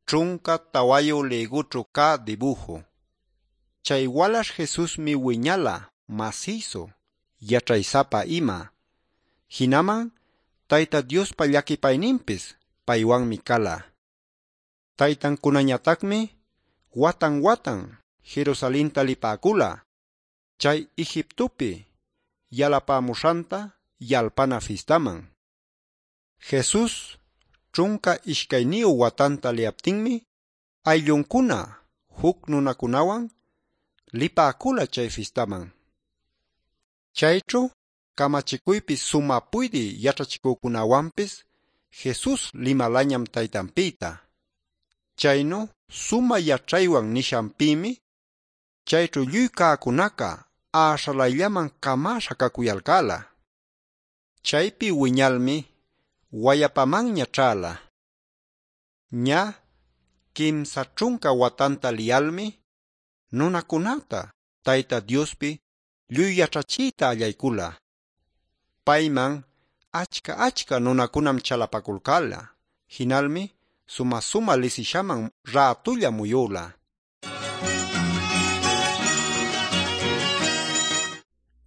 14 lïgućhu cä dibuju. Chay walaśh Jesusmi wiñala masïsu, yaćhay-sapa ima. Jinaman Tayta Diospa llaquipayninpis paywanmi cala. Taytancunañatacmi watan-watan Jerusalenta lipäcula chay Egiptopi yalapämuśhanta yalpana fistaman. Jesus 12 watanta liyaptinmi aylluncuna juc nunacunawan lipäcula chay fistaman. Chayćhu camachicuypi sumä puydï yaćhachicücunawanpis Jesus limalañam Taytanpïta. Chaynu sumä yaćhaywan nishanpïmi chayćhu lluy cäcunaca äśhalayllaman camäśha cacuyalcäla. Chaypi wiñalmi wayapamanña ćhäla. Ñä 30 watanta liyalmi nunacunäta Tayta Diospi lluy yaćhachiyta allaycula. Payman achca-achca nunacunam chalapaculcäla. Jinalmi sumä-sumä lisishaman rätulla muyüla.